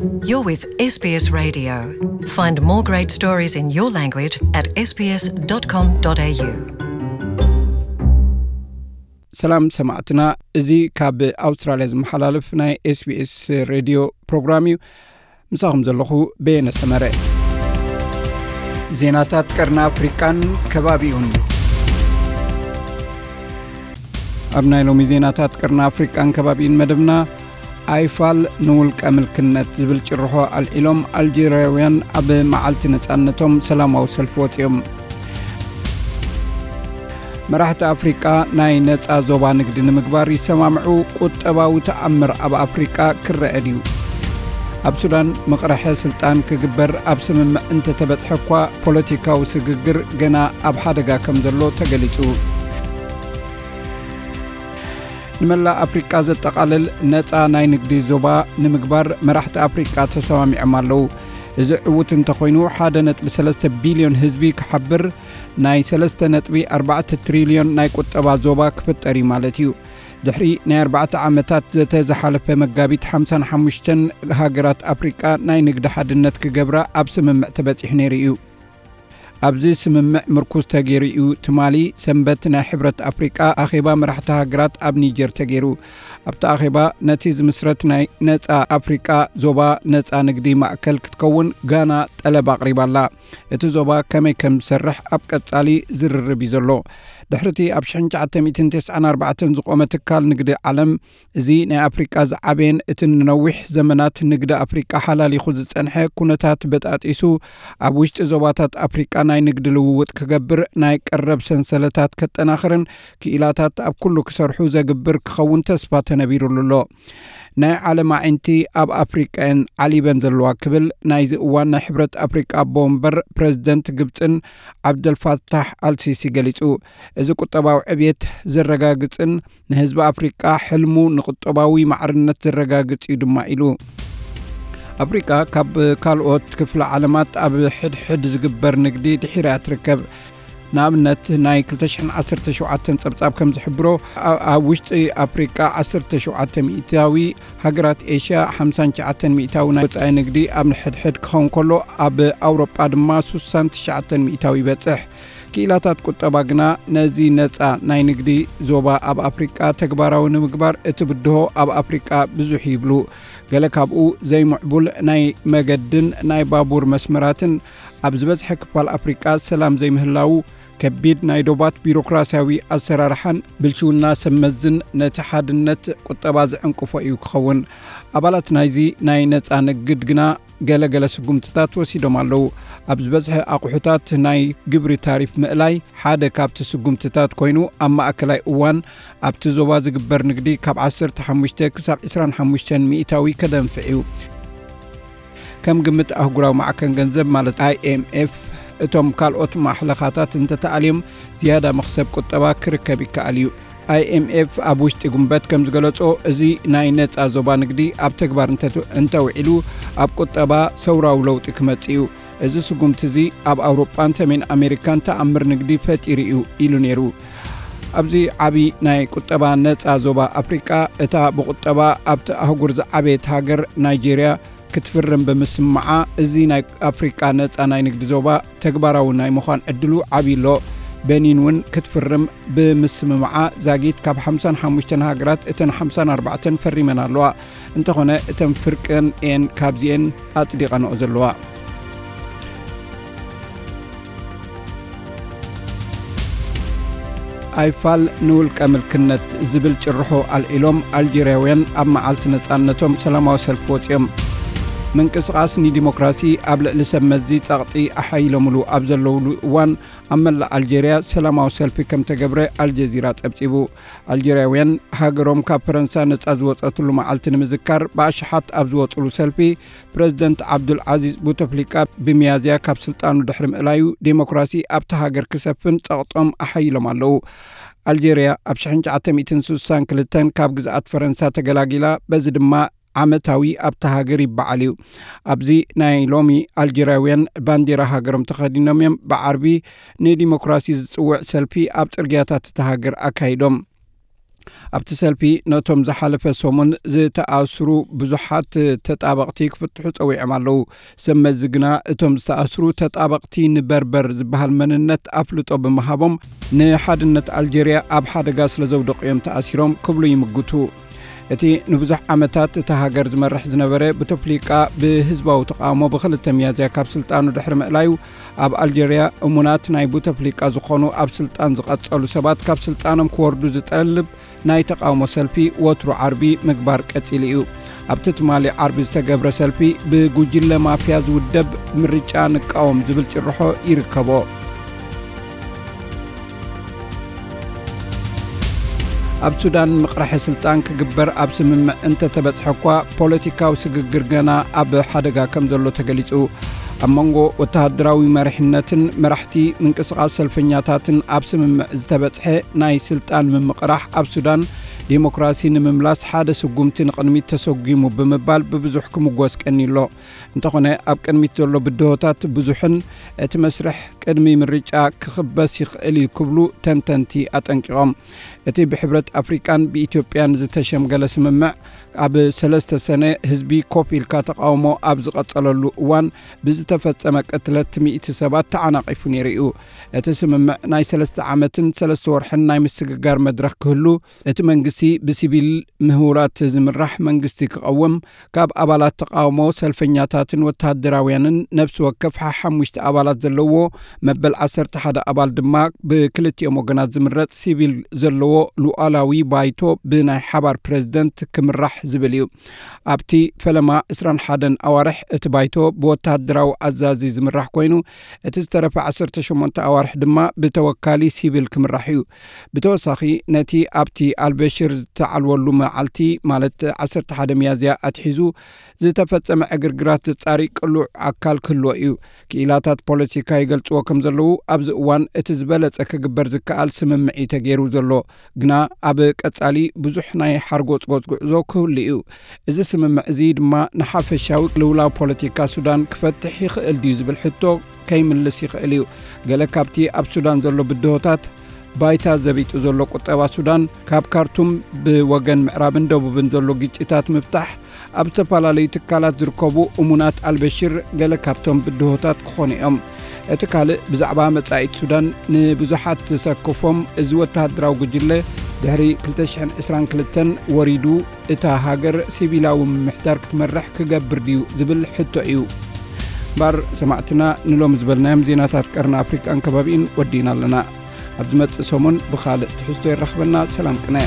You're with S B S Radio. Find more great stories in your language at S B S dot com dot A U. ሰላም ሰማዕትና፣ እዚ ካብ ኣውስትራልያ ዝመሓላለፍ ናይ ኤስቢኤስ ሬድዮ ፕሮግራም እዩ። ምሳኹም ዘለኹ በየነ ሰመረ። ዜናታት ቀርኒ ኣፍሪቃን ከባቢኡን። ኣብ ናይ ሎሚ ዜናታት ቀርኒ ኣፍሪቃን ከባቢኡን መደብና፣ ኣይፋል ንውልቀ ምልክነት ዝብል ጭርሖ ኣልዒሎም ኣልጀርያውያን ኣብ መዓልቲ ነጻነቶም ሰላማዊ ሰልፊ ወጺኦም። መራሕቲ ኣፍሪቃ ናይ ነጻ ዞባ ንግዲ ንምግባር ይሰማምዑ፣ ቁጠባዊ ተኣምር ኣብ ኣፍሪቃ ክረአ ድዩ? ኣብ ሱዳን ምቕርሐ ስልጣን ክግበር ኣብ ስምምዕ እንተተበጽሐ እኳ፣ ፖለቲካዊ ስግግር ገና ኣብ ሓደጋ ከም ዘሎ ተገሊጹ። ንመላእ ኣፍሪቃ ዘጠቓልል ነጻ ናይ ንግዲ ዞባ ንምግባር መራሕቲ ኣፍሪቃ ተሰማሚዖም ኣለዉ። እዚ ዕዉት እንተኾይኑ፣ ሓደ ነጥቢ ሰለስተ ቢልዮን ህዝቢ ክሓብር፣ ናይ ሰለስተ ነጥቢ ኣርባዕተ ትሪልዮን ናይ ቁጠባ ዞባ ክፍጠር እዩ ማለት እዩ። ድሕሪ ናይ ኣርባዕተ ዓመታት ዘተ ዝሓለፈ መጋቢት፣ ሓምሳን ሓሙሽተን ሃገራት ኣፍሪቃ ናይ ንግዲ ሓድነት ክገብራ ኣብ ስምምዕ ተበጺሑ ነይሩ እዩ። ኣብዚ ስምምዕ ምርኩዝ ተገይሩ እዩ ትማሊ ሰንበት ናይ ሕብረት ኣፍሪቃ ኣኼባ መራሕቲ ሃገራት ኣብ ኒጀር ተገይሩ። ኣብቲ ኣኼባ፣ ነቲ ዝምስረት ናይ ነጻ ኣፍሪቃ ዞባ ነጻ ንግዲ ማእከል ክትከውን ጋና ጠለብ ኣቕሪባ ኣላ። እቲ ዞባ ከመይ ከም ዝሰርሕ ኣብ ቀጻሊ ዝርርብ እዩ ዘሎ። ድሕሪ እቲ ኣብ ሽሕን ትሽዓተ ሚእትን ተስዓን ኣርባዕተን ዝቖመ ትካል ንግዲ ዓለም፣ እዚ ናይ ኣፍሪቃ ዝዓበየን እቲ ንነዊሕ ዘመናት ንግዲ ኣፍሪቃ ሓላሊኹ ዝጸንሐ ኩነታት በጣጢሱ፣ ኣብ ውሽጢ ዞባታት ኣፍሪቃ ናይ ንግዲ ልውውጥ ክገብር፣ ናይ ቀረብ ሰንሰለታት ከጠናኽርን ክኢላታት ኣብ ኩሉ ክሰርሑ ዘግብር ክኸውን ተስፋ ተነቢሩሉ ኣሎ። ናይ ዓለም ኣዒንቲ ኣብ ኣፍሪቃ እየን ዓሊበን ዘለዋ ክብል ናይዚ እዋን ናይ ሕብረት ኣፍሪቃ ኣቦ ወንበር ፕረዚደንት ግብጽን ዓብደልፋታሕ ኣልሲሲ ገሊጹ። እዚ ቁጠባዊ ዕብየት ዘረጋግጽን ንህዝቢ ኣፍሪቃ ሕልሙ ንቁጠባዊ ማዕርነት ዘረጋግጽ እዩ ድማ ኢሉ። ኣፍሪቃ ካብ ካልኦት ክፍለ ዓለማት ኣብ ሕድሕድ ዝግበር ንግዲ ድሒራ እያ ትርከብ። ንኣብነት፣ ናይ ክልተ ሽሕን ዓሰርተ ሸውዓተን ጸብጻብ ከም ዝሕብሮ፣ ኣ-፣ ኣብ ውሽጢ ኣፍሪቃ ዓሰርተ ሸውዓተ ሚእታዊ፣ ሃገራት ኤሽያ ሓምሳን ትሽዓተን ሚእታዊ ናይ ወጻኢ ንግዲ ኣብ ንሕድሕድ ክኸውን ከሎ፣ ኣብ ኣውሮጳ ድማ ሱሳን ትሽዓተን ሚእታዊ ይበጽሕ። ክኢላታት ቁጠባ ግና፣ ነዚ ነጻ ናይ ንግዲ ዞባ ኣብ ኣፍሪቃ ተግባራዊ ንምግባር እቲ ብድሆ ኣብ ኣፍሪቃ ብዙሕ ይብሉ። ገለ ካብኡ ዘይምዕቡል ናይ መገድን ናይ ባቡር መስመራትን፣ ኣብ ዝበዝሐ ክፋል ኣፍሪቃ ሰላም ዘይምህላዉ፣ ከቢድ ናይ ዶባት ቢሮክራሲያዊ ኣሰራርሓን ብልሽውና ሰብ መዝን ነቲ ሓድነት ቁጠባ ዝዕንቅፎ እዩ ክኸውን። ኣባላት ናይዚ ናይ ነጻ ንግድ ግና ገለ ገለ ስጉምትታት ወሲዶም ኣለዉ። ኣብ ዝበዝሐ ኣቑሑታት ናይ ግብሪ ታሪፍ ምእላይ ሓደ ካብቲ ስጉምትታት ኮይኑ፣ ኣብ ማእከላይ እዋን ኣብቲ ዞባ ዝግበር ንግዲ ካብ ዓሰርተ ሓሙሽተ ክሳብ ዕስራን ሓሙሽተን ሚእታዊ ከደንፍዕ እዩ። ከም ግምት ኣህጉራዊ ማዕከን ገንዘብ ማለት ኣይኤምኤፍ፣ እቶም ካልኦት ማሕለኻታት እንተተኣልዮም ዝያዳ መኽሰብ ቁጠባ ክርከብ ይከኣል እዩ። ኣይኤምኤፍ ኣብ ውሽጢ ጉንበት ከም ዝገለጾ፣ እዚ ናይ ነጻ ዞባ ንግዲ ኣብ ተግባር እንተ-፣ እንተውዒሉ፣ ኣብ ቁጠባ ሰውራዊ ለውጢ ክመጽእ እዩ። እዚ ስጉምቲ እዚ ኣብ ኣውሮጳን ሰሜን ኣሜሪካን ተኣምር ንግዲ ፈጢሩ እዩ ኢሉ ነይሩ። ኣብዚ ዓቢ ናይ ቁጠባ ነጻ ዞባ ኣፍሪቃ፣ እታ ብቁጠባ ኣብቲ ኣህጉር ዝዓበየት ሃገር ናይጄርያ ክትፍርም ብምስምዓ፣ እዚ ናይ ኣፍሪቃ ነጻ ናይ ንግዲ ዞባ ተግባራዊ ናይ ምዃን ዕድሉ ዓብዪ ኣሎ። በኒን እውን ክትፍርም ብምስምምዓ፣ ዛጊት ካብ ሓምሳን ሓሙሽተን ሃገራት እተን ሓምሳን ኣርባዕተን ፈሪመን ኣለዋ። እንተኾነ፣ እተን ፍርቀን እየን ካብዚኤን ኣጽዲቐንኦ ዘለዋ። ኣይፋል ንውልቀ ምልክነት ዝብል ጭርሖ ኣልዒሎም ኣልጀርያውያን ኣብ መዓልቲ ነጻነቶም ሰላማዊ ሰልፊ ወጺኦም። ምንቅስቓስ ንዲሞክራሲ ኣብ ልዕሊ ሰብ መዚ ጸቕጢ ኣሓይሎምሉ ኣብ ዘለውሉ እዋን፣ ኣብ መላእ ኣልጀርያ ሰላማዊ ሰልፊ ከም ተገብረ ኣልጀዚራ ጸብጺቡ። ኣልጀርያውያን ሃገሮም ካብ ፈረንሳ ነጻ ዝወጸትሉ መዓልቲ ንምዝካር ብኣሽሓት ኣብ ዝወጽሉ ሰልፊ፣ ፕረዚደንት ዓብዱል ዓዚዝ ቡተፍሊቃ ብሚያዝያ ካብ ስልጣኑ ድሕሪ ምእላዩ፣ ዴሞክራሲ ኣብታ ሃገር ክሰፍን ጸቕጦም ኣሓይሎም ኣለዉ። ኣልጀርያ ኣብ ሽሕን ትሽዓተ ሚእትን ስሳን ክልተን ካብ ግዝኣት ፈረንሳ ተገላጊላ፣ በዚ ድማ ዓመታዊ ኣብታ ሃገር ይበዓል እዩ። ኣብዚ ናይ ሎሚ፣ ኣልጀርያውያን ባንዴራ ሃገሮም ተኸዲኖም እዮም ብዓርቢ ንዲሞክራሲ ዝጽውዕ ሰልፊ ኣብ ጽርግያታት እታ ሃገር ኣካይዶም። ኣብቲ ሰልፊ ነቶም ዝሓለፈ ሰሙን ዝተኣስሩ ብዙሓት ተጣበቕቲ ክፍትሑ ጸዊዖም ኣለዉ። ሰብ መዚ ግና እቶም ዝተኣስሩ ተጣበቕቲ ንበርበር ዝበሃል መንነት ኣፍልጦ ብምሃቦም ንሓድነት ኣልጀርያ ኣብ ሓደጋ ስለ ዘውደቑ እዮም ተኣሲሮም ክብሉ ይምግቱ። እቲ ንብዙሕ ዓመታት እታ ሃገር ዝመርሕ ዝነበረ ቡተፍሊቃ ብህዝባዊ ተቓውሞ ብክልተ ሚያዝያ ካብ ስልጣኑ ድሕሪ ምእላዩ ኣብ ኣልጀርያ እሙናት ናይ ቡተፍሊቃ ዝኾኑ ኣብ ስልጣን ዝቐጸሉ ሰባት ካብ ስልጣኖም ክወርዱ ዝጠልብ ናይ ተቓውሞ ሰልፊ ወትሩ ዓርቢ ምግባር ቀጺሉ እዩ። ኣብቲ ትማሊ ዓርቢ ዝተገብረ ሰልፊ ብጉጅለ ማፍያ ዝውደብ ምርጫ ንቃወም ዝብል ጭርሖ ይርከቦ። ኣብ ሱዳን ምቕራሐ ስልጣን ክግበር ኣብ ስምምዕ እንተተበጽሐ እኳ ፖለቲካዊ ስግግር ገና ኣብ ሓደጋ ከም ዘሎ ተገሊጹ። ኣብ መንጎ ወተሃደራዊ መሪሕነትን መራሕቲ ምንቅስቓስ ሰልፈኛታትን ኣብ ስምምዕ ዝተበጽሐ ናይ ስልጣን ምምቕራሕ ኣብ ሱዳን ዲሞክራሲ ንምምላስ ሓደ ስጉምቲ ንቕድሚት ተሰጒሙ ብምባል ብብዙሕ ክምጎስ ቀኒሎ። እንተኾነ ኣብ ቅድሚት ዘሎ ብድሆታት ብዙሕን እቲ መስርሕ ቅድሚ ምርጫ ክኽበስ ይኽእል እዩ ክብሉ ተንተንቲ ኣጠንቂቖም። እቲ ብሕብረት ኣፍሪቃን ብኢትዮጵያን ዝተሸምገለ ስምምዕ ኣብ ሰለስተ ሰነ ህዝቢ ኮፍ ኢልካ ተቃውሞ ኣብ ዝቐጸለሉ እዋን ብዝተፈጸመ ቅትለት ሚእቲ ሰባት ተዓናቒፉ ነይሩ እዩ። እቲ ስምምዕ ናይ ሰለስተ ዓመትን ሰለስተ ወርሕን ናይ ምስግጋር መድረኽ ክህሉ፣ እቲ መንግስቲ ብሲቪል ምህውራት ዝምራሕ መንግስቲ ክቐውም፣ ካብ ኣባላት ተቃውሞ ሰልፈኛታትን ወተሃደራውያንን ነፍሲ ወከፍ ሓሙሽተ ኣባላት ዘለዎ መበል ዓሰርተ ሓደ ኣባል ድማ ብክልቲኦም ወገናት ዝምረጽ ሲቪል ዘለዎ ሉዓላዊ ባይቶ ብናይ ሓባር ፕሬዝደንት ክምራሕ ዝብል እዩ። ኣብቲ ፈለማ ዕስራን ሓደን ኣዋርሕ እቲ ባይቶ ብወተሃደራዊ ኣዛዚ ዝምራሕ ኮይኑ፣ እቲ ዝተረፈ ዓሰርተ ሸሞንተ ኣዋርሕ ድማ ብተወካሊ ሲቪል ክምራሕ እዩ። ብተወሳኺ ነቲ ኣብቲ ኣልበሽር ዝተዓልወሉ መዓልቲ ማለት ዓሰርተ ሓደ ሚያዝያ ኣትሒዙ ዝተፈጸመ ዕግርግራት ዘጻሪ ቅሉዕ ኣካል ክህልዎ እዩ። ክኢላታት ፖለቲካ ይገልጽዎ ከም ዘለዉ ኣብዚ እዋን እቲ ዝበለጸ ክግበር ዝከኣል ስምምዕ እዩ ተገይሩ ዘሎ። ግና ኣብ ቀጻሊ ብዙሕ ናይ ሓርጎጽጎጽ ጉዕዞ ክህሉ እዩ። እዚ ስምምዕ እዚ ድማ ንሓፈሻዊ ልውላው ፖለቲካ ሱዳን ክፈትሕ ይኽእል ድዩ ዝብል ሕቶ ከይምልስ ይኽእል እዩ። ገለ ካብቲ ኣብ ሱዳን ዘሎ ብድሆታት ባይታ ዘቢጡ ዘሎ ቁጠባ ሱዳን ካብ ካርቱም ብወገን ምዕራብን ደቡብን ዘሎ ግጭታት ምፍታሕ ኣብ ዝተፈላለዩ ትካላት ዝርከቡ እሙናት ኣልበሽር ገለ ካብቶም ብድሆታት ክኾኑ እዮም። እቲ ካልእ ብዛዕባ መጻኢት ሱዳን ንብዙሓት ዘሰክፎም እዚ ወተሃደራዊ ጉጅለ ድሕሪ ክልተ ሽሕን ዕስራን ክልተን ወሪዱ እታ ሃገር ሲቪላዊ ምምሕዳር ክትመርሕ ክገብር ድዩ ዝብል ሕቶ እዩ። እምበኣር ሰማዕትና ንሎም ዝበልናዮም ዜናታት ቀርኒ ኣፍሪቃን ከባቢኡን ወዲእና ኣለና። ኣብ ዝመጽእ ሰሙን ብኻልእ ትሕዝቶ የራኽበና። ሰላም ቅነ።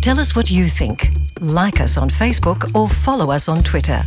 Tell us what you think. Like us on Facebook or follow us on Twitter.